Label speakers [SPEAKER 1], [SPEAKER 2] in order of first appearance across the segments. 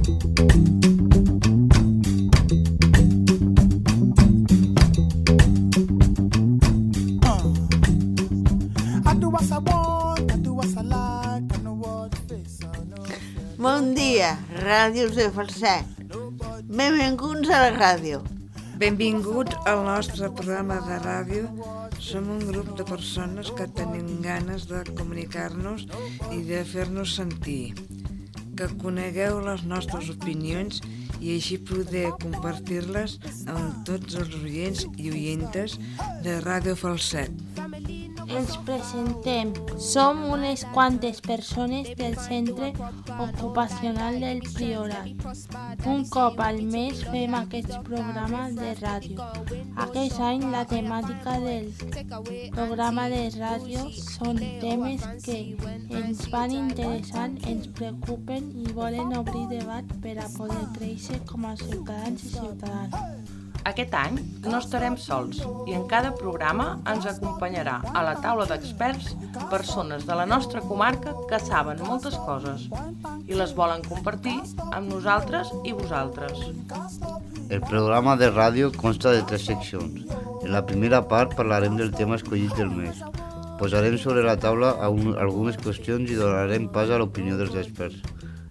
[SPEAKER 1] Bon dia, ràdios de Falset. Benvinguts a la ràdio.
[SPEAKER 2] Benvinguts al nostre programa de ràdio. Som un grup de persones que tenim ganes de comunicar-nos i de fer-nos sentir. Que conegueu les nostres opinions i així poder compartir-les amb tots els oients i oientes de Ràdio Falset.
[SPEAKER 3] Ens presentem. Som unes quantes persones del Centre Ocupacional del Priorat. Un cop al mes fem aquest programa de ràdio. Aquest any la temàtica del programa de ràdio són temes que ens van interessant, ens preocupen i volen obrir debat per a poder créixer com a ciutadans i ciutadanes.
[SPEAKER 4] Aquest any no estarem sols i en cada programa ens acompanyarà a la taula d'experts persones de la nostra comarca que saben moltes coses i les volen compartir amb nosaltres i vosaltres.
[SPEAKER 5] El programa de ràdio consta de 3 seccions. En la primera part parlarem del tema escollit del mes. Posarem sobre la taula algunes qüestions i donarem pas a l'opinió dels experts.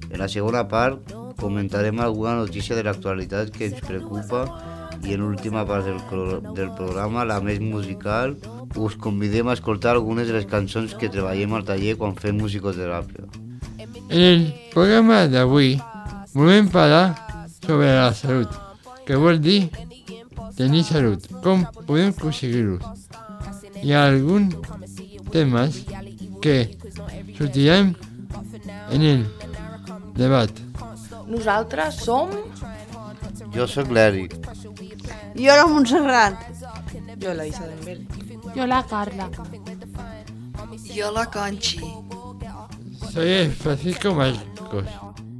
[SPEAKER 5] En la segona part comentarem alguna notícia de l'actualitat que ens preocupa i en l'última part del programa, la més musical, us convidem a escoltar algunes de les cançons que treballem al taller quan fem musicoteràpia.
[SPEAKER 6] En el programa d'avui volem parlar sobre la salut, que vol dir tenir salut, com podem aconseguir-ho. Hi ha alguns temes que sortiran en el debat.
[SPEAKER 4] Nosaltres som...
[SPEAKER 5] Jo sóc l'Eric.
[SPEAKER 1] Jo la Montserrat.
[SPEAKER 4] Jo la Isabel.
[SPEAKER 3] Jo la Carla.
[SPEAKER 2] Jo la Conchi.
[SPEAKER 6] Soy el Francisco Marcos.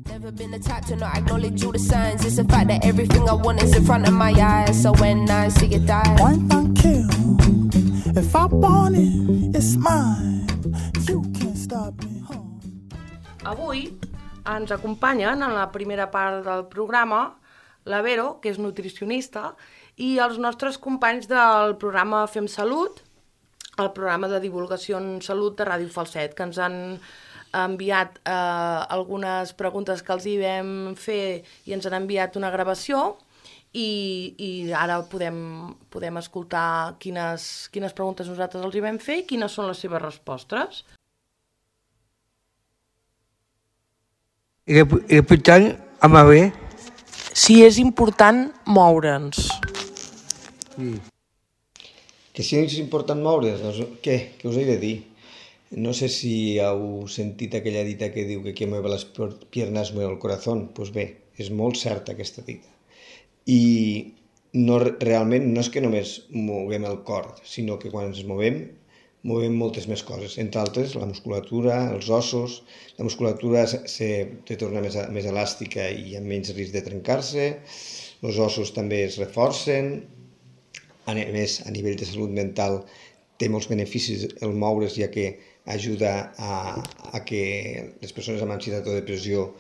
[SPEAKER 7] Never been the type to not acknowledge all the signs. It's a fact that everything I want is in front of my eyes. So when I see it die,
[SPEAKER 8] one don't kill. If I want it, it's mine. You can't stop me.
[SPEAKER 4] Avui ens acompanyen en la primera part del programa la Vero, que és nutricionista, i els nostres companys del programa Fem Salut, el programa de divulgació en salut de Ràdio Falset, que ens han enviat algunes preguntes que els hi vam fer i ens han enviat una gravació i ara podem escoltar quines preguntes nosaltres els hi vam fer i quines són les seves respostes.
[SPEAKER 9] Repetant amb bé.
[SPEAKER 4] Si és important moure'ns.
[SPEAKER 9] Sí. Que si és important moure's, doncs què us he de dir? No sé si heu sentit aquella dita que diu que qui mueve les piernas mueve el corazón. Doncs bé, és molt certa aquesta dita. I realment no és que només moguem el cor, sinó que quan ens movem moltes més coses, entre altres la musculatura, els ossos. La musculatura se torna més elàstica i amb menys risc de trencar-se, els ossos també es reforcen, a més a nivell de salut mental té molts beneficis el moure's, ja que ajuda a que les persones amb ansietat o depressió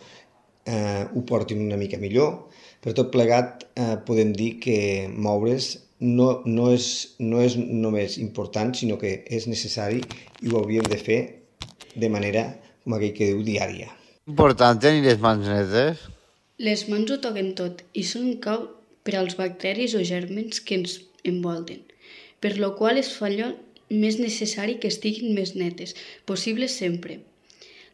[SPEAKER 9] ho portin una mica millor. Per tot plegat podem dir que moure's no és només important, sinó que és necessari i ho hauríem de fer de manera, com aquell que diu, diària.
[SPEAKER 5] Important tenir les mans netes?
[SPEAKER 10] Les mans ho toquen tot i són cau per als bacteris o gèrmens que ens envolten, per lo qual es fa allò més necessari que estiguin més netes, possible sempre.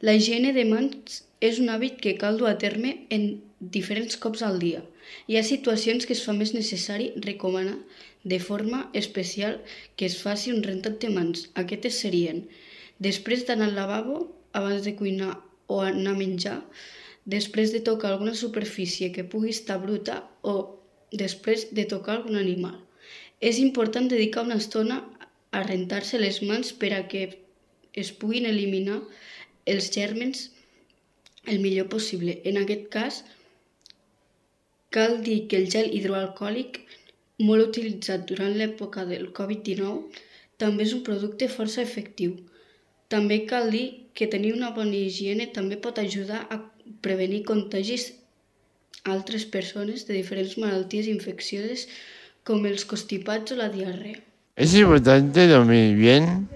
[SPEAKER 10] La higiene de mans és un hàbit que cal dur a terme en diferents cops al dia. Hi ha situacions que es fa més necessari recomanar de forma especial que es faci un rentat de mans. Aquestes serien després d'anar al lavabo, abans de cuinar o anar a menjar, després de tocar alguna superfície que pugui estar bruta o després de tocar algun animal. És important dedicar una estona a rentar-se les mans per a que es puguin eliminar els gèrmens el millor possible. En aquest cas, cal dir que el gel hidroalcohòlic, molt utilitzat durant l'època del Covid-19, també és un producte força efectiu. També cal dir que tenir una bona higiene també pot ajudar a prevenir contagis altres persones de diferents malalties infeccioses com els constipats o la diarrea.
[SPEAKER 6] ¿Es importante dormir bien?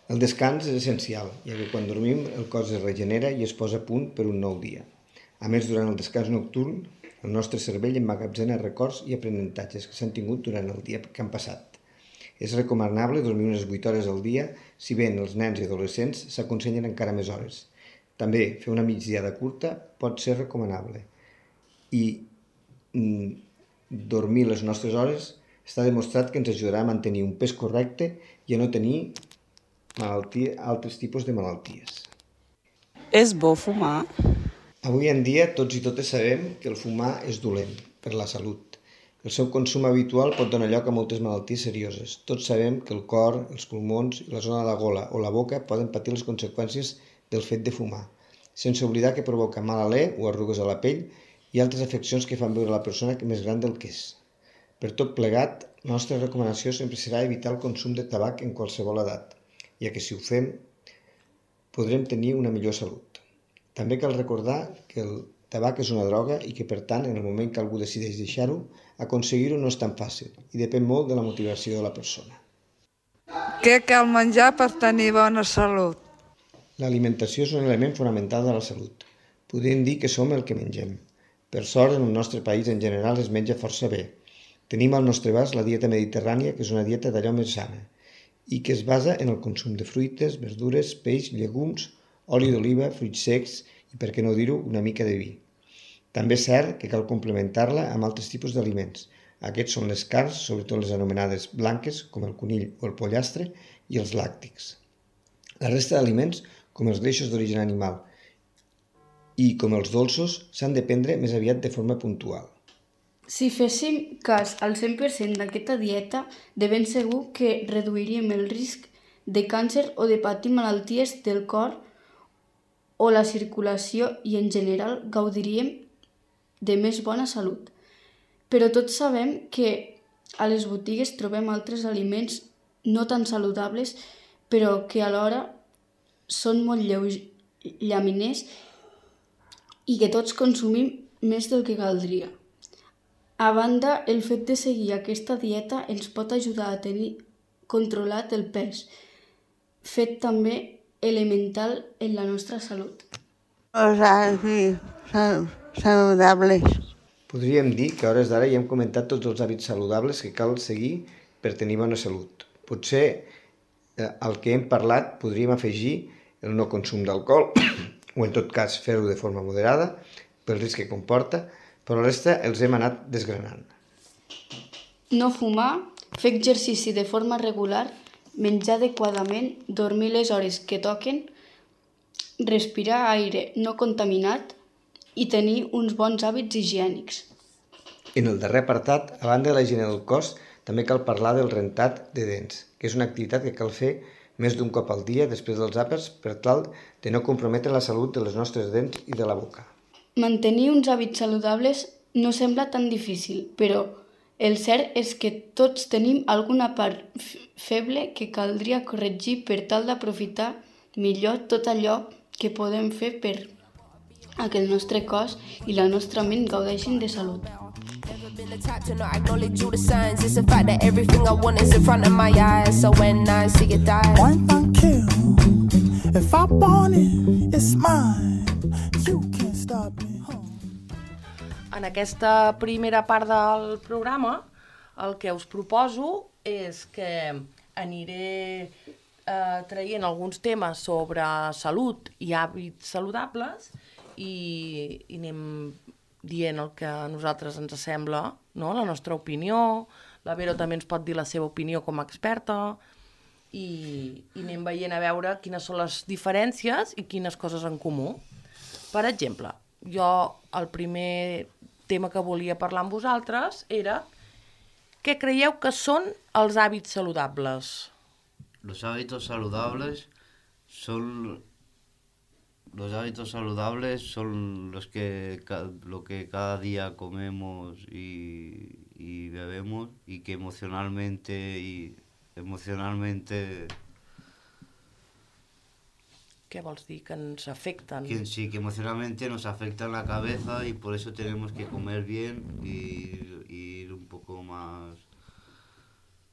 [SPEAKER 9] El descans és essencial, ja que quan dormim el cos es regenera i es posa a punt per un nou dia. A més, durant el descans nocturn, el nostre cervell emmagatzena records i aprenentatges que s'han tingut durant el dia que han passat. És recomanable dormir unes 8 hores al dia, si bé en els nens i adolescents s'aconsellen encara més hores. També fer una migdiada curta pot ser recomanable. I dormir les nostres hores està demostrat que ens ajudarà a mantenir un pes correcte i a no tenir altres tipus de malalties.
[SPEAKER 11] És bo fumar?
[SPEAKER 9] Avui en dia tots i totes sabem que el fumar és dolent per la salut. El seu consum habitual pot donar lloc a moltes malalties serioses. Tots sabem que el cor, els pulmons i la zona de la gola o la boca poden patir les conseqüències del fet de fumar, sense oblidar que provoca mal alè o arrugues a la pell i altres afeccions que fan veure la persona més gran del que és. Per tot plegat, la nostra recomanació sempre serà evitar el consum de tabac en qualsevol edat, ja que si ho fem podrem tenir una millor salut. També cal recordar que el tabac és una droga i que, per tant, en el moment que algú decideix deixar-ho, aconseguir-ho no és tan fàcil i depèn molt de la motivació de la persona.
[SPEAKER 2] Què cal menjar per tenir bona salut?
[SPEAKER 9] L'alimentació és un element fonamental de la salut. Podríem dir que som el que mengem. Per sort, en el nostre país en general es menja força bé. Tenim al nostre abast la dieta mediterrània, que és una dieta d'allò més sana, i que es basa en el consum de fruites, verdures, peix, llegums, oli d'oliva, fruits secs i, per què no dir-ho, una mica de vi. També és cert que cal complementar-la amb altres tipus d'aliments. Aquests són les carns, sobretot les anomenades blanques, com el conill o el pollastre, i els làctics. La resta d'aliments, com els greixos d'origen animal i com els dolços, s'han de prendre més aviat de forma puntual.
[SPEAKER 10] Si féssim cas al 100% d'aquesta dieta, de ben segur que reduiríem el risc de càncer o de patir malalties del cor o la circulació i en general gaudiríem de més bona salut. Però tots sabem que a les botigues trobem altres aliments no tan saludables, però que alhora són molt llaminers i que tots consumim més del que caldria. A banda, el fet de seguir aquesta dieta ens pot ajudar a tenir controlat el pes, fet també elemental en la nostra salut.
[SPEAKER 1] Els hàbits saludables.
[SPEAKER 9] Podríem dir que a hores d'ara ja hem comentat tots els hàbits saludables que cal seguir per tenir bona salut. Potser al que hem parlat podríem afegir el no consum d'alcohol, o en tot cas fer-ho de forma moderada, pel risc que comporta, però la resta els hem anat desgranant.
[SPEAKER 10] No fumar, fer exercici de forma regular, menjar adequadament, dormir les hores que toquen, respirar aire no contaminat i tenir uns bons hàbits higiènics.
[SPEAKER 9] En el darrer apartat, a banda de la higiene del cos, també cal parlar del rentat de dents, que és una activitat que cal fer més d'un cop al dia després dels àpats per tal de no comprometre la salut de les nostres dents i de la boca.
[SPEAKER 10] Mantenir uns hàbits saludables no sembla tan difícil, però el cert és que tots tenim alguna part feble que caldria corregir per tal d'aprofitar millor tot allò que podem fer per a que el nostre cos i la nostra ment gaudeixin de salut.
[SPEAKER 7] Been the type to not acknowledge all the signs. It's a fact that everything I want is in front of my eyes. So when I see it die,
[SPEAKER 8] Point and kill. If I want it, it's mine. You can't stop me.
[SPEAKER 4] En aquesta primera part del programa, el que us proposo és que aniré traient alguns temes sobre salut i hàbits saludables i anem dient el que a nosaltres ens sembla, no? La nostra opinió. La Vero també ens pot dir la seva opinió com a experta i anem veient a veure quines són les diferències i quines coses en comú. Per exemple, jo el primer tema que volia parlar amb vosaltres era què creieu que són els hàbits saludables?
[SPEAKER 5] Los hábitos saludables son lo que cada día comemos y bebemos y que emocionalmente
[SPEAKER 4] Què vols dir? Que ens afecten?
[SPEAKER 5] Sí, que emocionalmente nos afectan la cabeza y por eso tenemos que comer bien y ir un poco más,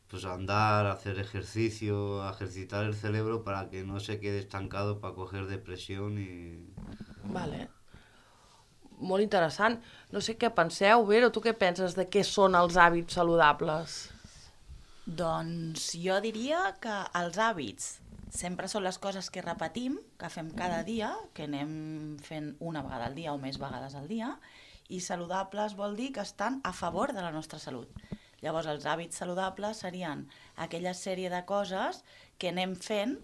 [SPEAKER 5] pues andar, hacer ejercicio, ejercitar el cerebro para que no se quede estancado para coger depresión y...
[SPEAKER 4] Vale. Molt interessant. No sé què penseu, Vero, tu què penses de què són els hàbits saludables?
[SPEAKER 12] Doncs jo diria que els hàbits sempre són les coses que repetim, que fem cada dia, que anem fent una vegada al dia o més vegades al dia, i saludables vol dir que estan a favor de la nostra salut. Llavors, els hàbits saludables serien aquella sèrie de coses que anem fent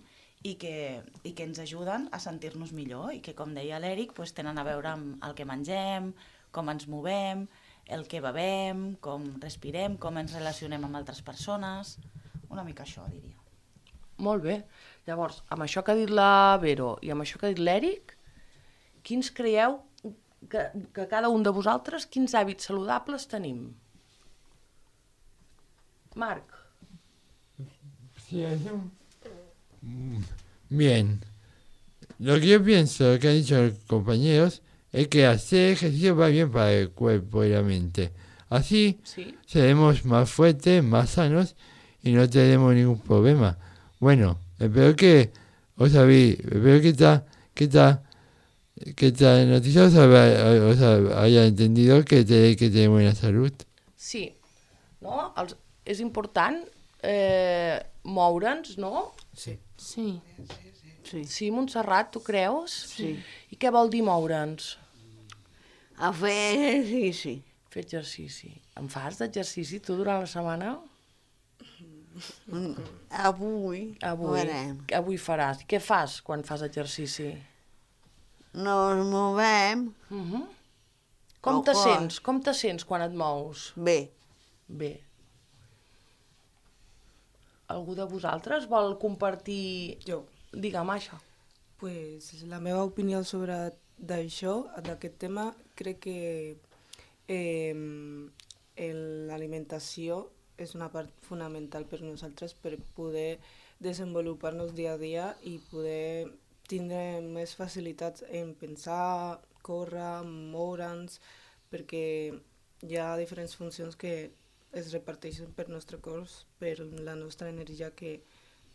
[SPEAKER 12] i que ens ajuden a sentir-nos millor i que, com deia l'Eric, tenen a veure amb el que mengem, com ens movem, el que bevem, com respirem, com ens relacionem amb altres persones... Una mica això, diria.
[SPEAKER 4] Molt bé. Llavors, amb això que ha dit la Vero i amb això que ha dit l'Eric, quins creieu que cada un de vosaltres, quins hàbits saludables tenim? Marc.
[SPEAKER 6] Sí, bien. Lo que yo pienso, lo que han dicho los compañeros, es que hacer ejercicio va bien para el cuerpo y la mente. Así seremos más fuertes, más sanos y no tendremos ningún problema. Bueno, espero que os sabéis, espero que esta noticia os haya entendido que tenéis que tener buena salud.
[SPEAKER 4] Sí, no? És important moure'ns, no?
[SPEAKER 1] Sí.
[SPEAKER 4] Sí, Montserrat, tu creus?
[SPEAKER 1] Sí.
[SPEAKER 4] I què vol dir moure'ns?
[SPEAKER 1] A fer exercici.
[SPEAKER 4] Fer exercici. En fas d'exercici tu durant la setmana? Avui faràs. Què fas quan fas exercici?
[SPEAKER 1] Nos movem.
[SPEAKER 4] Com te sents? Com te sents quan et mous?
[SPEAKER 1] Bé.
[SPEAKER 4] Bé. Algú de vosaltres vol compartir...
[SPEAKER 13] Jo.
[SPEAKER 4] Digue'm això.
[SPEAKER 13] Pues la meva opinió sobre d'això, d'aquest tema, crec que l'alimentació és una part fonamental per nosaltres per poder desenvolupar-nos dia a dia i poder tindre més facilitats en pensar, córrer, moure'ns, perquè hi ha diferents funcions que es reparteixen per nostre cos, per la nostra energia que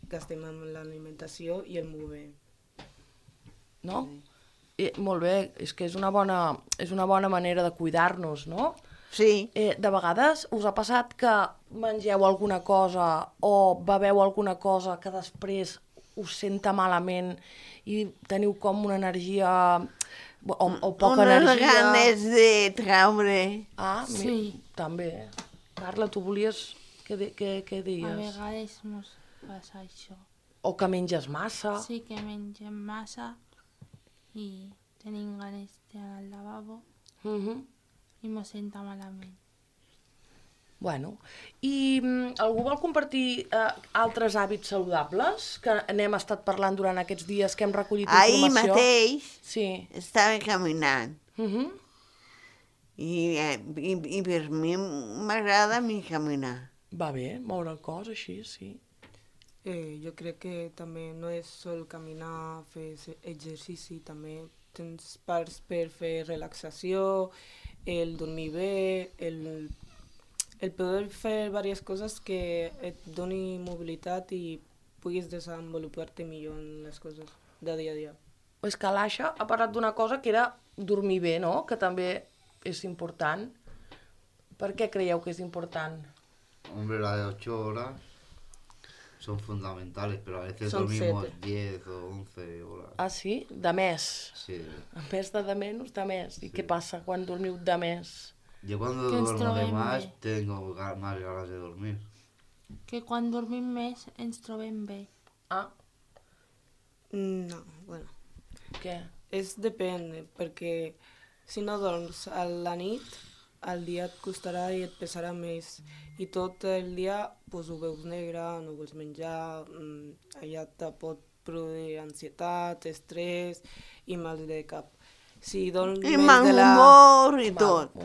[SPEAKER 13] gastem amb l'alimentació i el moviment.
[SPEAKER 4] No? Molt bé, és que és una bona manera de cuidar-nos, no?
[SPEAKER 1] Sí.
[SPEAKER 4] De vegades us ha passat que mengeu alguna cosa o beveu alguna cosa que després us senta malament i teniu com una energia o poca energia...
[SPEAKER 1] Unes ganes de traure.
[SPEAKER 4] Sí. També. Carla, tu volies... Què dies?
[SPEAKER 3] A vegades mos passa això.
[SPEAKER 4] O que menges massa.
[SPEAKER 3] Sí, que mengem massa i tenim ganes d'anar al lavabo i mos senta malament.
[SPEAKER 4] Bueno, i algú vol compartir altres hàbits saludables que n'hem estat parlant durant aquests dies que hem recollit informació?
[SPEAKER 1] Ahir mateix
[SPEAKER 4] estava
[SPEAKER 1] caminant. I per mi m'agrada caminar.
[SPEAKER 4] Va bé, moure el cos així, sí.
[SPEAKER 13] Jo crec que també no és sol caminar, fer exercici, també tens parts per fer relaxació, el dormir bé, el poder fer diverses coses que et doni mobilitat i puguis desenvolupar-te millor en les coses de dia a dia.
[SPEAKER 4] És que l'Aixa ha parlat d'una cosa que era dormir bé, no? Que també és important. Per què creieu que és important?
[SPEAKER 5] Hombre, las de 8 horas son fundamentales, pero a veces
[SPEAKER 4] Son
[SPEAKER 5] dormimos
[SPEAKER 4] 7.
[SPEAKER 5] 10 o 11 horas.
[SPEAKER 4] Ah, sí? De més?
[SPEAKER 5] Sí.
[SPEAKER 4] En vez de menys, de més. I què passa quan dormiu de més?
[SPEAKER 5] Yo cuando duermo de más tengo más ganas de dormir.
[SPEAKER 3] Que quan dormim més ens trobem bé.
[SPEAKER 13] No, bueno.
[SPEAKER 4] Què?
[SPEAKER 13] Depèn, perquè si no dorms a la nit, al dia et costarà i et pesarà més. I tot el dia ho veus negre, no vols menjar, allà te pot produir ansietat, estrès i mal de cap. Si dorms
[SPEAKER 1] I mal humor i tot.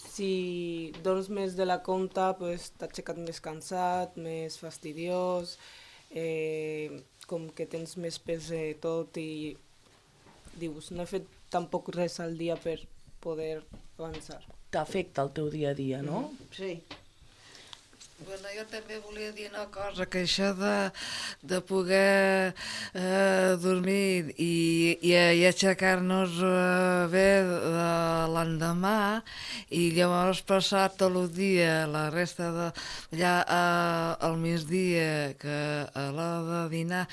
[SPEAKER 13] Si dorms més de la compte, t'has aixecat més cansat, més fastidiós, com que tens més pes de tot i dius, no he fet tampoc res al dia per poder avançar.
[SPEAKER 4] T'afecta el teu dia a dia, no?
[SPEAKER 1] Sí.
[SPEAKER 2] Bueno, jo també volia dir una cosa, que això de poder dormir i aixecar-nos bé de l'endemà i llavors passar tot el dia, la resta de allà al migdia, que a l'hora de dinar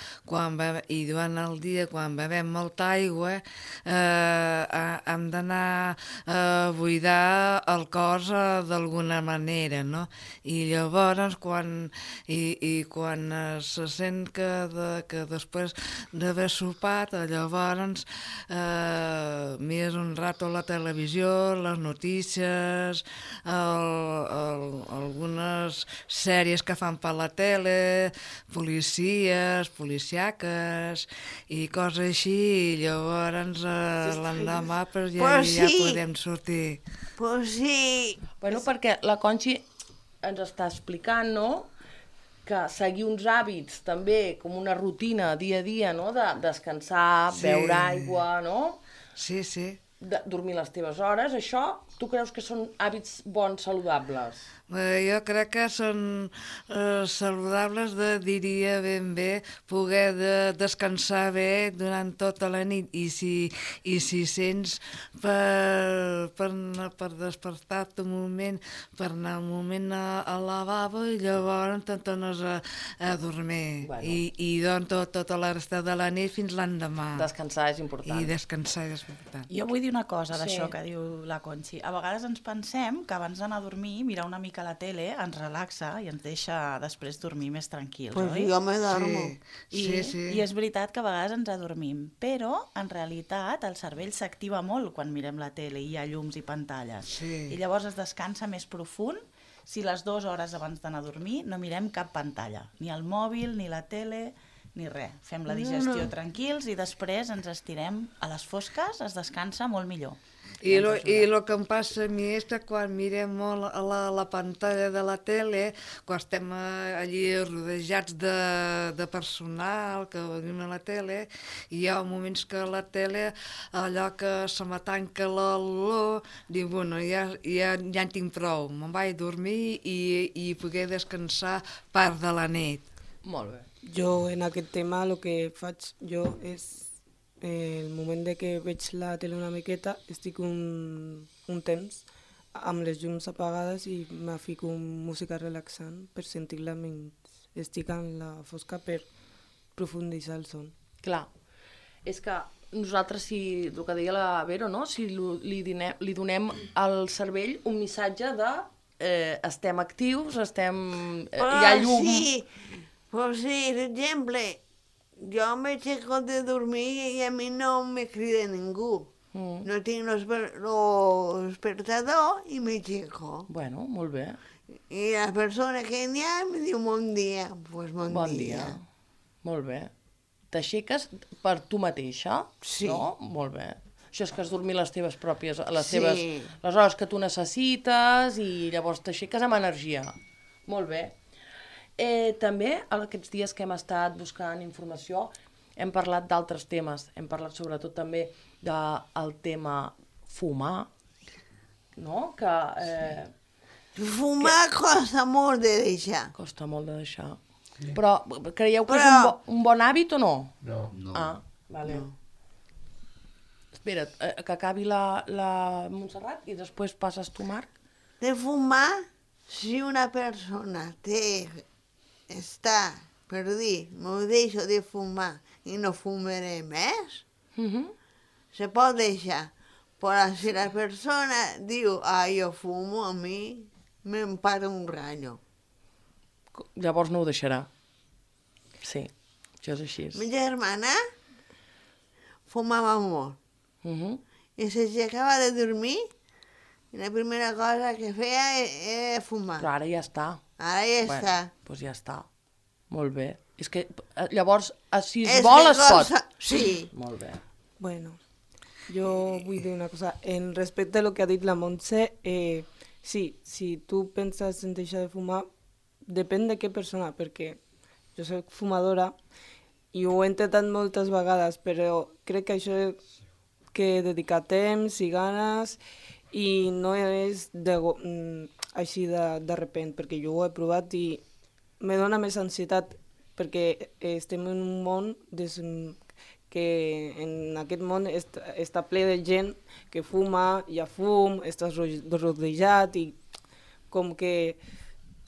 [SPEAKER 2] i durant el dia, quan bevem molta aigua, hem d'anar a buidar el cos d'alguna manera, no? I llavors quan se sent que després d'haver sopat, llavors mires un rato la televisió, les notícies, algunes sèries que fan per la tele, policies, policiaques i coses així, i llavors l'endemà ja podem sortir.
[SPEAKER 1] Pues sí.
[SPEAKER 4] Bueno, perquè la Conxi ens està explicant, no?, que seguir uns hàbits també com una rutina dia a dia, no?, de descansar, beure aigua, no?
[SPEAKER 2] Sí, sí.
[SPEAKER 4] Dormir les teves hores, això, tu creus que són hàbits bons, saludables?
[SPEAKER 2] Jo crec que són saludables, diria ben bé, poder descansar bé durant tota la nit, i si sents per despertar-te un moment, per anar un moment al lavabo, i llavors te'n tornes a dormir, i doncs tota la resta de la nit fins l'endemà.
[SPEAKER 4] Descansar és important.
[SPEAKER 2] I descansar és important.
[SPEAKER 12] Jo vull dir una cosa d'això que diu la Conxi. A vegades ens pensem que abans d'anar a dormir, mirar una mica a la tele ens relaxa i ens deixa després dormir més tranquils,
[SPEAKER 1] pues
[SPEAKER 12] oi?
[SPEAKER 1] Jo me dormo.
[SPEAKER 12] I és veritat que a vegades ens adormim, però en realitat el cervell s'activa molt quan mirem la tele i hi ha llums i pantalles. I llavors es descansa més profund si les 2 hores abans d'anar a dormir no mirem cap pantalla, ni el mòbil, ni la tele, ni res. Fem la digestió tranquils i després ens estirem a les fosques, es descansa molt millor.
[SPEAKER 2] I el que em passa a mi és que quan mirem molt a la pantalla de la tele, quan estem allí rodejats de personal que venim a la tele, hi ha moments que la tele, allò que se me tanca l'olor, dic, bueno, ja en tinc prou, me'n vaig a dormir i poder descansar part de la nit.
[SPEAKER 4] Molt bé.
[SPEAKER 13] Jo en aquest tema el que faig jo és el moment de que veig la tele una miqueta, estic un temps amb les llums apagades i me fico música relaxant per sentir-la menys estic en la fosca, per profunditzar el son.
[SPEAKER 4] Clar, és que nosaltres, si el que deia la Vero, no? Si li donem al cervell un missatge de estem actius, hi ha llum...
[SPEAKER 1] Sí, per exemple, jo m'aixeco de dormir i a mi no me crida ningú. No tinc despertador i m'aixeco.
[SPEAKER 4] Bueno, molt bé.
[SPEAKER 1] I la persona que n'hi ha em diu bon dia. Pues bon dia.
[SPEAKER 4] Molt bé. T'aixeques per tu mateixa?
[SPEAKER 1] Sí.
[SPEAKER 4] No? Molt bé. Això és que has dormit les teves pròpies, les hores que tu necessites i llavors t'aixeques amb energia. Molt bé. També, aquests dies que hem estat buscant informació, hem parlat d'altres temes. Hem parlat sobretot també del tema fumar, no?
[SPEAKER 1] Fumar costa molt de deixar.
[SPEAKER 4] Costa molt de deixar. Però creieu que és un bon hàbit o no?
[SPEAKER 6] No.
[SPEAKER 4] Ah, vale. Espera't, que acabi la Montserrat i després passes tu, Marc.
[SPEAKER 1] De fumar, si una persona està per dir, m'ho deixo de fumar i no fumaré més, se pot deixar. Però si la persona diu, jo fumo, a mi me'n para un rayo.
[SPEAKER 4] Llavors no ho deixarà. Sí, això és així.
[SPEAKER 1] Ma germana fumava molt. I s'aixecava de dormir i la primera cosa que feia era fumar.
[SPEAKER 4] Però ara ja està.
[SPEAKER 1] Ara ja està.
[SPEAKER 4] Doncs ja està. Molt bé. És que llavors, si es vol, es pot.
[SPEAKER 1] Sí.
[SPEAKER 4] Molt bé.
[SPEAKER 13] Bueno, jo vull dir una cosa. En respecte a lo que ha dit la Montse, sí, si tu penses en deixar de fumar, depèn de què persona, perquè jo soc fumadora i ho he intentat moltes vegades, però crec que això que dedicar temps i ganes i no és així de repent, perquè jo ho he provat i me dona més ansietat, perquè estem en un món que en aquest món està ple de gent que fuma, hi ha fum, estàs rodejat i com que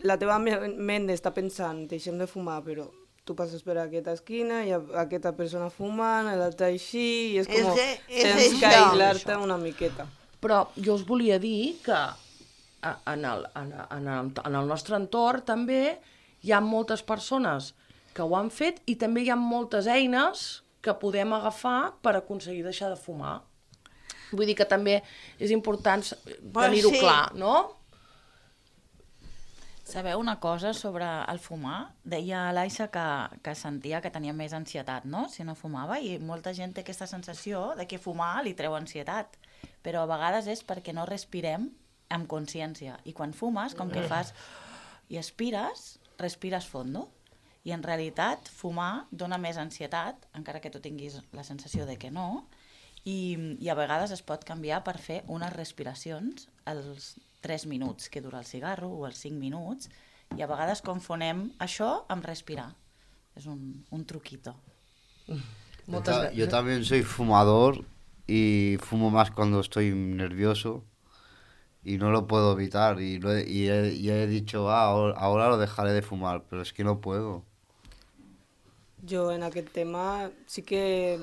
[SPEAKER 13] la teva ment està pensant, deixem de fumar, però tu passes per aquesta esquina, hi ha aquesta persona fumant, l'altra així, i és com tens que aïllar-te una miqueta.
[SPEAKER 4] Però jo us volia dir que en el nostre entorn també hi ha moltes persones que ho han fet i també hi ha moltes eines que podem agafar per aconseguir deixar de fumar. Vull dir que també és important tenir-ho clar, no?
[SPEAKER 12] Sabeu una cosa sobre el fumar? Deia l'Aixa que sentia que tenia més ansietat, no?, si no fumava, i molta gent té aquesta sensació de que fumar li treu ansietat, però a vegades és perquè no respirem amb consciència, i quan fumes, com que fas i respires fondo, i en realitat fumar dona més ansietat, encara que tu tinguis la sensació de que no, i a vegades es pot canviar per fer unes respiracions als 3 minuts que dura el cigarro o els 5 minuts, i a vegades confonem això amb respirar. Es un truquito.
[SPEAKER 5] Yo también soy fumador y fumo más cuando estoy nervioso y no lo puedo evitar y he dicho, ahora lo dejaré de fumar, pero es que no puedo.
[SPEAKER 13] Jo en aquest tema sí que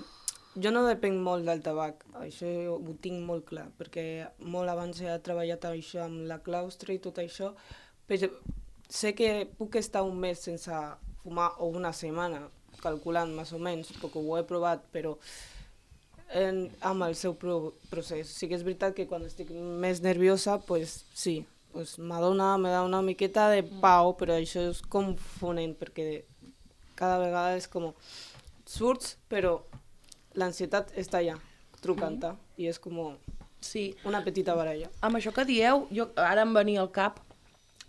[SPEAKER 13] jo no depenc molt del tabac, això ho tinc molt clar, perquè molt abans he treballat això amb la claustre i tot això, però sé que puc estar un mes sense fumar o una setmana, calculant més o menys, perquè ho he provat, però amb el seu procés. Sí que és veritat que quan estic més nerviosa, pues sí, pues me da una miqueta de pau, però això és confonent, perquè cada vegada és com surts, però l'ansietat està allà, trucant-te, i és com una petita baralla.
[SPEAKER 4] Amb això que dieu, ara em venia al cap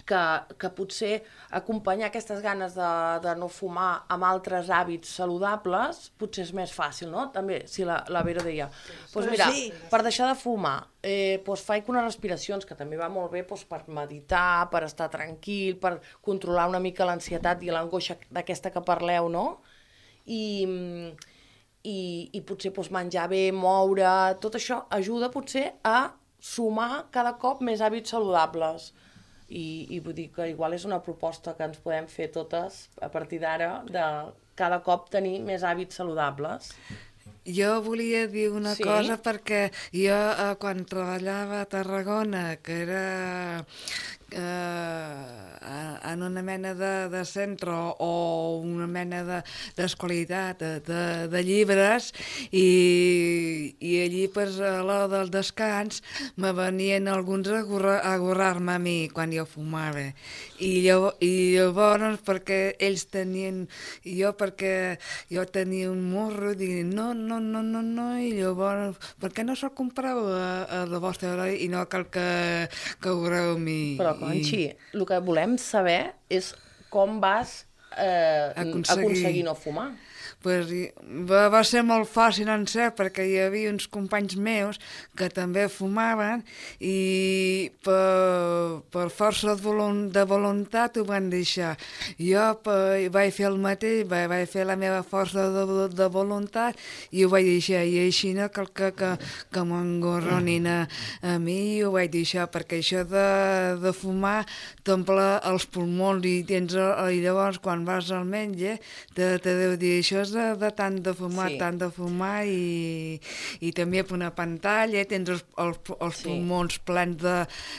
[SPEAKER 4] que potser acompanyar aquestes ganes de no fumar amb altres hàbits saludables potser és més fàcil, no? També, si la Vera deia, doncs mira, per deixar de fumar, faig unes respiracions, que també va molt bé per meditar, per estar tranquil, per controlar una mica l'ansietat i l'angoixa d'aquesta que parleu, no? I potser menjar bé, moure, tot això ajuda potser a sumar cada cop més hàbits saludables. I vull dir que igual és una proposta que ens podem fer totes a partir d'ara, de cada cop tenir més hàbits saludables.
[SPEAKER 2] Jo volia dir una cosa, perquè jo quan treballava a Tarragona, que era en una mena de centre o una mena d'escolarità de llibres, i allí a l'hora del descans me venien alguns a gorrar-me a mi quan jo fumava, i llavors perquè ells tenien, perquè jo tenia un morro, i no, i llavors per què no se'l compreu a la vostra hora i no cal que gorreu a mi?
[SPEAKER 4] Però Conxi, el que volem saber és com vas aconseguir no fumar.
[SPEAKER 2] Va ser molt fàcil en ser, perquè hi havia uns companys meus que també fumaven i per força de voluntat ho van deixar. Jo vaig fer el mateix, vaig fer la meva força de voluntat i ho vaig deixar, i així no cal que m'engorronin a mi, i ho vaig deixar, perquè això de fumar t'omple els pulmons i llavors quan vas al metge te deu dir això és de tant de fumar, i també per una pantalla tens els pulmons plens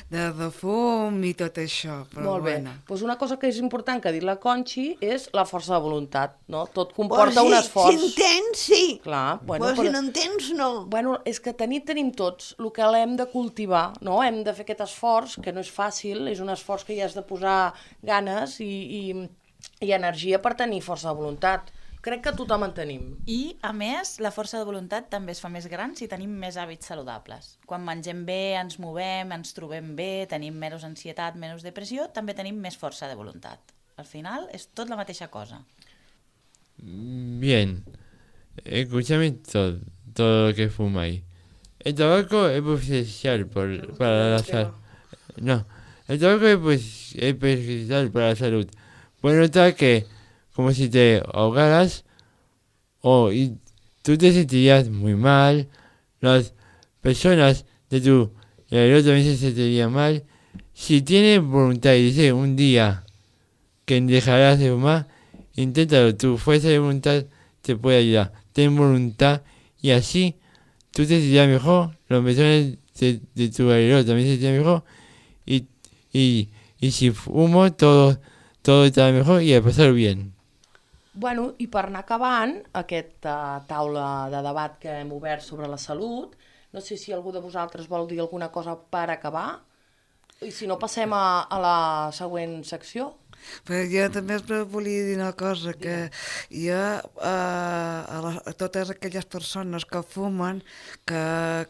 [SPEAKER 2] de fum i tot això.
[SPEAKER 4] Molt bé. Doncs una cosa que és important que ha dit la Conxi és la força de voluntat, no? Tot comporta un esforç.
[SPEAKER 1] Si en tens, sí.
[SPEAKER 4] Clar.
[SPEAKER 1] Però si no en tens, no.
[SPEAKER 4] Bueno, és que tenim tots, el que l'hem de cultivar, no? Hem de fer aquest esforç, que no és fàcil, és un esforç que hi has de posar ganes i energia per tenir força de voluntat. Crec que tothom en tenim.
[SPEAKER 12] I, a més, la força de voluntat també es fa més gran si tenim més hàbits saludables. Quan mengem bé, ens movem, ens trobem bé, tenim menys ansietat, menys depressió, també tenim més força de voluntat. Al final, és tot la mateixa cosa.
[SPEAKER 6] Bien, escúchame todo lo que fumáis. El tabaco es perjudicial para la salud. No, el tabaco es perjudicial para la salud. Puedes notar que como si te ahogaras y tú te sentirías muy mal. Las personas de tu alrededor también se sentirían mal. Si tienes voluntad y dices un día que dejarás de fumar, inténtalo. Tu fuerza de voluntad te puede ayudar. Ten voluntad y así tú te sentirás mejor. Las personas de tu alrededor también se sentirán mejor. Y si fumo, todo estarà mejor i a passar bien.
[SPEAKER 4] Bueno, i per anar acabant aquesta taula de debat que hem obert sobre la salut, no sé si algú de vosaltres vol dir alguna cosa per acabar, i si no passem a la següent secció.
[SPEAKER 2] Però jo també volia dir una cosa, que jo a totes aquelles persones que fumen, que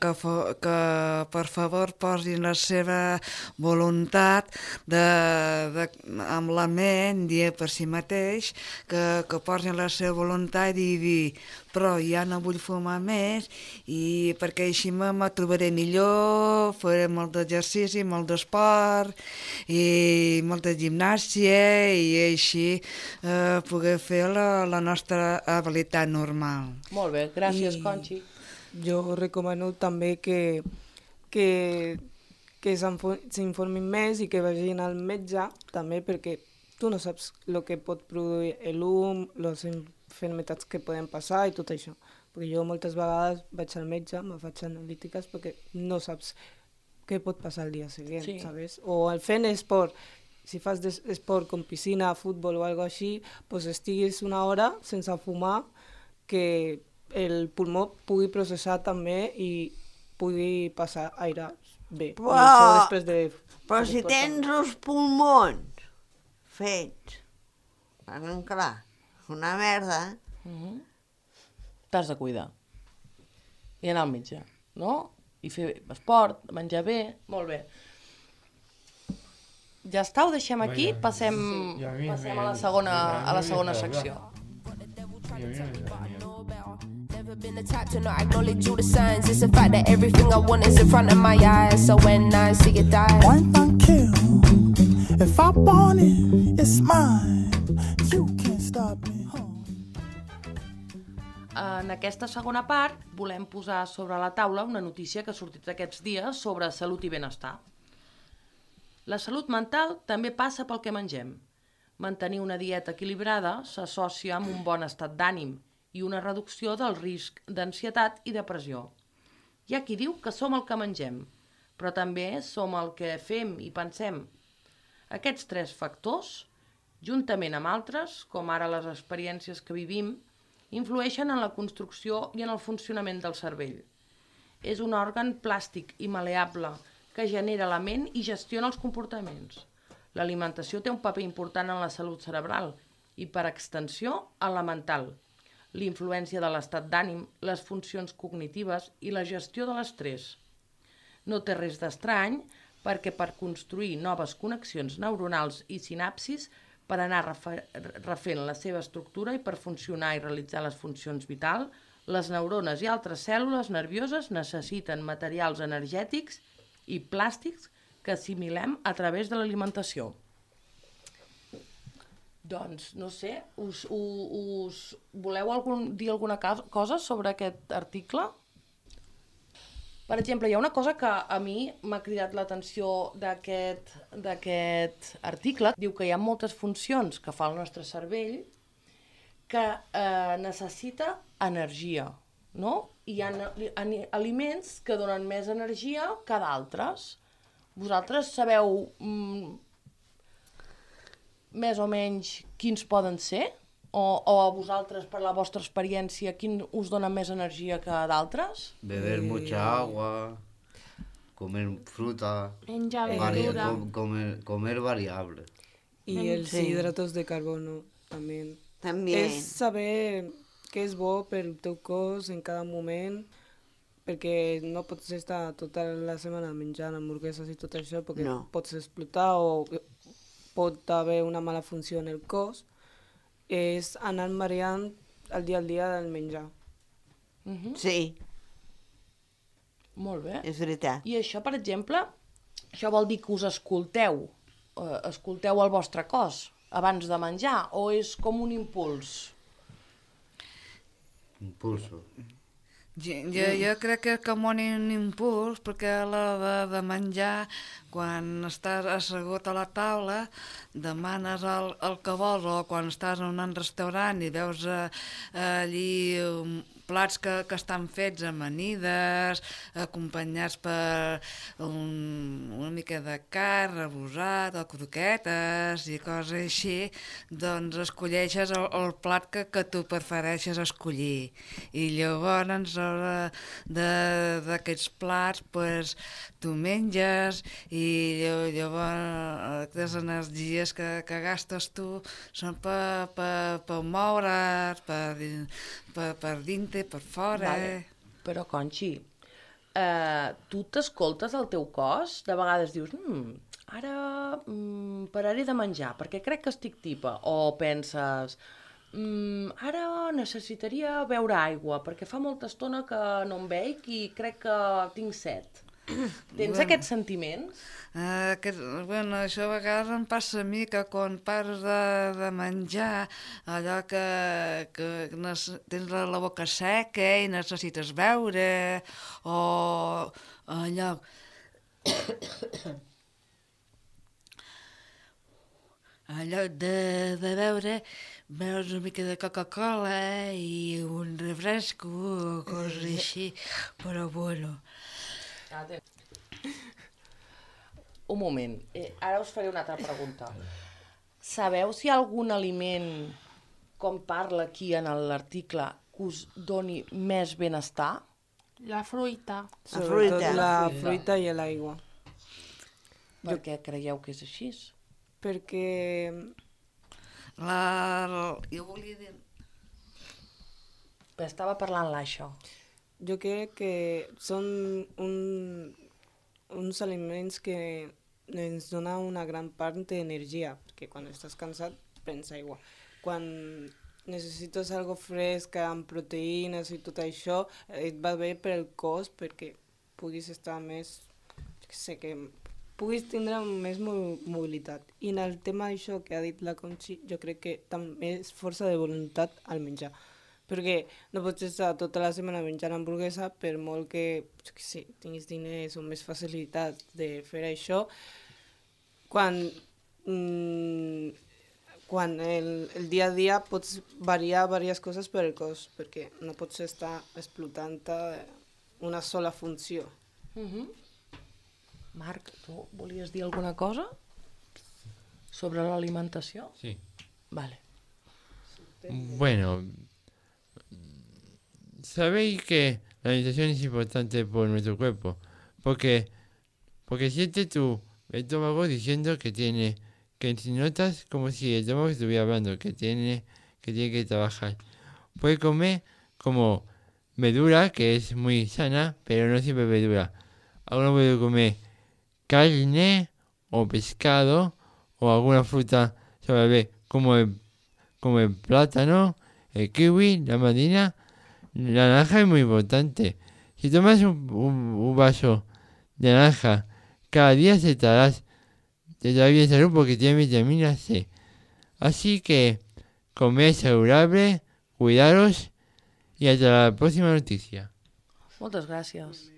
[SPEAKER 2] per favor posin la seva voluntat amb la ment, dir per si mateix, que posin la seva voluntat i dir però ja no vull fumar més i perquè així me trobaré millor, faré molt d'exercici, molt d'esport i molta gimnàstia i així poder fer la nostra habilitat normal.
[SPEAKER 4] Molt bé, gràcies, Conchi.
[SPEAKER 13] Jo recomano també que s'informin més i que vagin al metge també perquè tu no saps el que pot produir l'hum, les enfermetats que poden passar i tot això. Perquè jo moltes vegades vaig al metge, me faig analítiques perquè no saps què pot passar el dia següent, sí. ¿Sabes? O fent esport, si fas esport com piscina, futbol o alguna cosa així, pues estiguis una hora sense fumar, que el pulmó pugui processar també i pugui passar aire bé.
[SPEAKER 1] Però si tens els pulmons fets, clar, una merda,
[SPEAKER 4] t'has de cuidar i anar al metge, no? I fer esport, menjar bé, molt bé. Ja està, ho deixem aquí, passem a la segona secció. Never been the type to not acknowledge all the signs. It's a fact that everything I want is in front of my eyes. So when I see it die,
[SPEAKER 8] point and kill. If I want it, it's mine. You can't stop me.
[SPEAKER 4] En aquesta segona part volem posar sobre la taula una notícia que ha sortit aquests dies sobre salut i benestar. La salut mental també passa pel que mengem. Mantenir una dieta equilibrada s'associa amb un bon estat d'ànim i una reducció del risc d'ansietat i depressió. Hi ha qui diu que som el que mengem, però també som el que fem i pensem. Aquests tres factors, juntament amb altres, com ara les experiències que vivim, influeixen en la construcció i en el funcionament del cervell. És un òrgan plàstic i maleable que genera la ment i gestiona els comportaments. L'alimentació té un paper important en la salut cerebral i, per extensió, en la mental. L'influència de l'estat d'ànim, les funcions cognitives i la gestió de l'estrès. No té res d'estrany perquè per construir noves connexions neuronals i sinapsis, per anar refent la seva estructura i per funcionar i realitzar les funcions vitals, les neurones i altres cèl·lules nervioses necessiten materials energètics i plàstics que assimilem a través de l'alimentació. Doncs, no sé, us voleu dir alguna cosa sobre aquest article? Per exemple, hi ha una cosa que a mi m'ha cridat l'atenció d'aquest article. Diu que hi ha moltes funcions que fa el nostre cervell que necessita energia, no? I hi ha aliments que donen més energia que d'altres. Vosaltres sabeu més o menys quins poden ser? O a vosaltres, per la vostra experiència, quin us dona més energia que d'altres?
[SPEAKER 5] Beber mucha agua, comer fruta,
[SPEAKER 3] menjar verdura,
[SPEAKER 5] comer variable.
[SPEAKER 13] Y els hidratos de carbono també. És saber què és bo pel teu cos en cada moment, perquè no pots estar tota la setmana menjant hamburgueses i tot això, perquè pots explotar o pot haver una mala funció en el cos. és anar variant el dia al dia del menjar.
[SPEAKER 1] Sí.
[SPEAKER 4] Molt bé.
[SPEAKER 1] És veritat.
[SPEAKER 4] I això, per exemple, això vol dir que us escolteu el vostre cos abans de menjar, o és com un impuls?
[SPEAKER 5] Impulso.
[SPEAKER 2] Jo crec que és com un impuls, perquè a l'hora de menjar, quan estàs assegut a la taula, demanes el que vols, o quan estàs en un restaurant i veus allí plats que estan fets a amanides, acompanyats per una mica de carn, rebosat, o croquetes i coses així, doncs escolleixes el plat que tu prefereixes escollir. I llavors, d'aquests plats, pues, tu menges i llavors les energies que gastes tu són per moure's, per dintre, per fora.
[SPEAKER 4] Vale. Però, Conxi, tu t'escoltes el teu cos? De vegades dius, ara pararé de menjar perquè crec que estic tipa. O penses, ara necessitaria beure aigua perquè fa molta estona que no em veig i crec que tinc set. Tens aquests sentiments?
[SPEAKER 2] Això a vegades em passa a mi, que quan pares de menjar, allò que tens la boca seca i necessites beure, o allò... allò de beure, veus una mica de Coca-Cola i un refresco o coses així, però bueno...
[SPEAKER 4] Un moment, ara us faré una altra pregunta. Sabeu si hi ha algun aliment, com parla aquí en l'article, que us doni més benestar?
[SPEAKER 3] La fruita.
[SPEAKER 13] Sobretot la fruita i l'aigua.
[SPEAKER 4] Per què creieu que és així?
[SPEAKER 13] Perquè...
[SPEAKER 2] Jo volia dir...
[SPEAKER 4] Estava parlant l'això.
[SPEAKER 13] Jo crec que són uns aliments que ens donen una gran part d'energia, perquè quan estàs cansat prens aigua. Quan necessites algo fresc, amb proteïnes i tot això, et va bé per al cos perquè puguis estar més... que puguis tindre més mobilitat. I en el tema d'això que ha dit la Conxi, jo crec que també és força de voluntat al menjar. Perquè no pots estar tota la setmana menjant hamburguesa, per molt que tinguis diners o més facilitat de fer això, quan el dia a dia pots variar diverses coses per al cos, perquè no pots estar explotant una sola funció.
[SPEAKER 4] Marc, tu volies dir alguna cosa sobre l'alimentació?
[SPEAKER 6] Sí.
[SPEAKER 4] Vale.
[SPEAKER 6] Bueno, sabéis que la alimentación es importante por nuestro cuerpo, porque siente tu estómago diciendo que si notas como si el estómago estuviera hablando, que tiene que trabajar. Puede comer como verdura, que es muy sana, pero no siempre verdura. Alguno puede comer carne o pescado o alguna fruta suave, como el plátano, el kiwi, la mandarina. La naranja es muy importante. Si tomas un vaso de naranja cada día te estará bien salud porque tiene vitamina C. Así que comed saludable, cuidaros i hasta la pròxima notícia.
[SPEAKER 4] Moltes gràcies.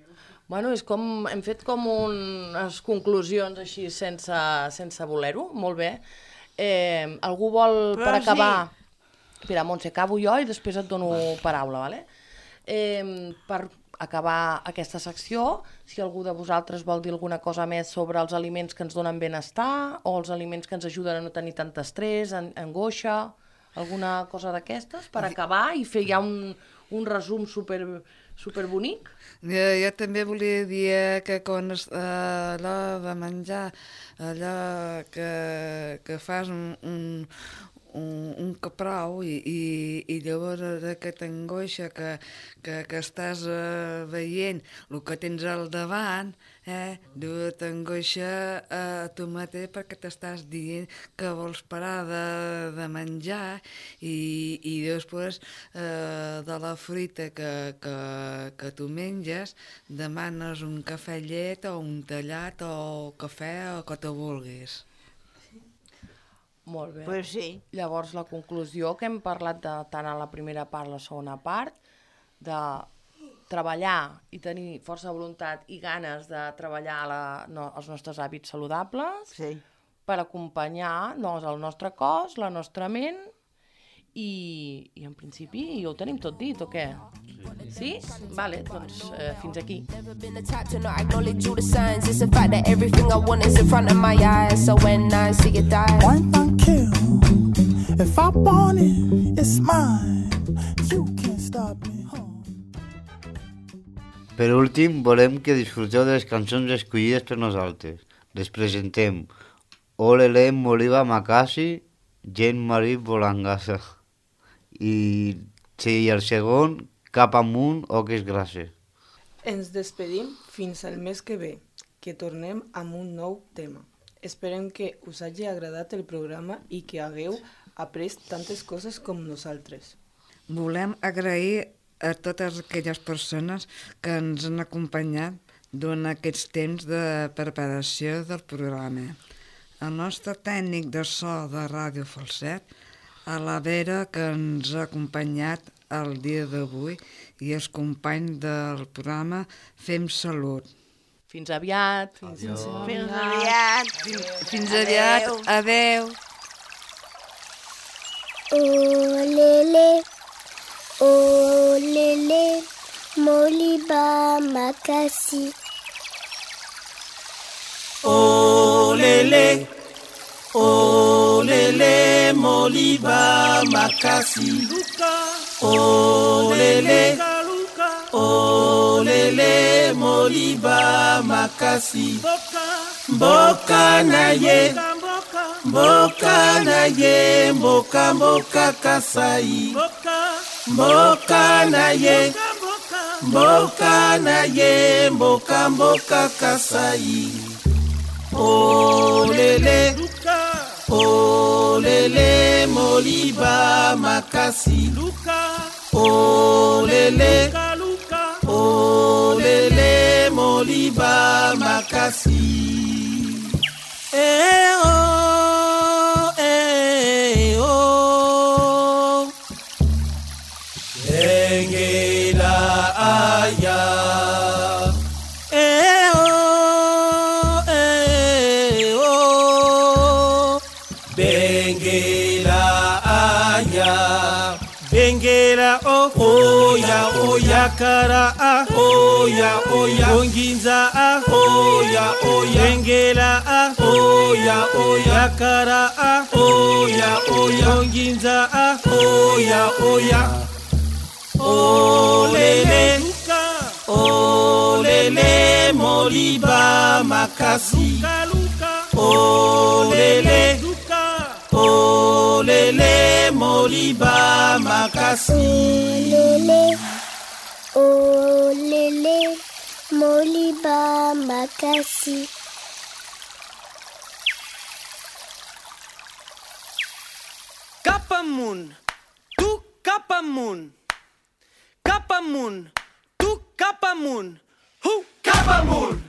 [SPEAKER 4] Bueno, hem fet com unes conclusions així sense voler-ho, molt bé. Algú vol, per acabar... Espera, Montse, acabo jo i després et dono paraula, vale? Per acabar aquesta secció, si algú de vosaltres vol dir alguna cosa més sobre els aliments que ens donen benestar o els aliments que ens ajuden a no tenir tant estrès, angoixa, alguna cosa d'aquestes, per acabar i fer ja un resum superbonic.
[SPEAKER 2] Jo també volia dir que quan a l'hora de menjar, allò que fas un caprau i llavors aquesta angoixa que estàs veient el que tens al davant, Diu, t'angoixa a tu mateix perquè t'estàs dient que vols parar de menjar i després de la fruita que tu menges demanes un cafè llet o un tallat o cafè o que te vulguis.
[SPEAKER 4] Molt bé.
[SPEAKER 1] Pues sí.
[SPEAKER 4] Llavors, la conclusió que hem parlat tant a la primera part com a la segona part, de treballar i tenir força voluntat i ganes de treballar els nostres hàbits saludables per acompanyar el nostre cos, la nostra ment i en principi ho tenim tot dit, o què? Sí? Vale, doncs fins aquí.
[SPEAKER 8] Point and kill. If I want it, it's mine. You can't stop me.
[SPEAKER 5] Per últim, volem que disfruteu de les cançons escollides per nosaltres. Les presentem Olele Moliba Makasi, Jean-Marie Bolangassa. I el segon, Cap amunt, Oques grasses.
[SPEAKER 13] Ens despedim fins al mes que ve, que tornem amb un nou tema. Esperem que us hagi agradat el programa i que hagueu après tantes coses com nosaltres.
[SPEAKER 2] Volem agrair a totes aquelles persones que ens han acompanyat durant aquests temps de preparació del programa. El nostre tècnic de so de Ràdio Falset, a la Vera, que ens ha acompanyat el dia d'avui, i els companys del programa Fem Salut.
[SPEAKER 4] Fins aviat.
[SPEAKER 1] Fins aviat.
[SPEAKER 2] Fins aviat. Adeu.
[SPEAKER 14] Olele, olele, Moliba Makasi.
[SPEAKER 8] Olele, olele, Moliba Makasi. Olele, olele, Moliba Makasi. Mboka na ye, mboka na ye, mboka mboka Kasai. Mboka na ye, mboka na ye, mboka mboka Kasai. Olele, olele, Moliba Makasi. Olele, olele, Moliba Makasi. Oh, Bengela aya. Bengela aya. Bengela oya oya kara oya oya onginza oya oya bengela oya oya kara oya oya onginza oya oya olele olele Moliba Makasi olele olele Moliba Makasi.
[SPEAKER 14] Olele, Moliba Makasi.
[SPEAKER 15] Cap amunt, tu cap amunt. Cap amunt, tu cap amunt. Cap amunt.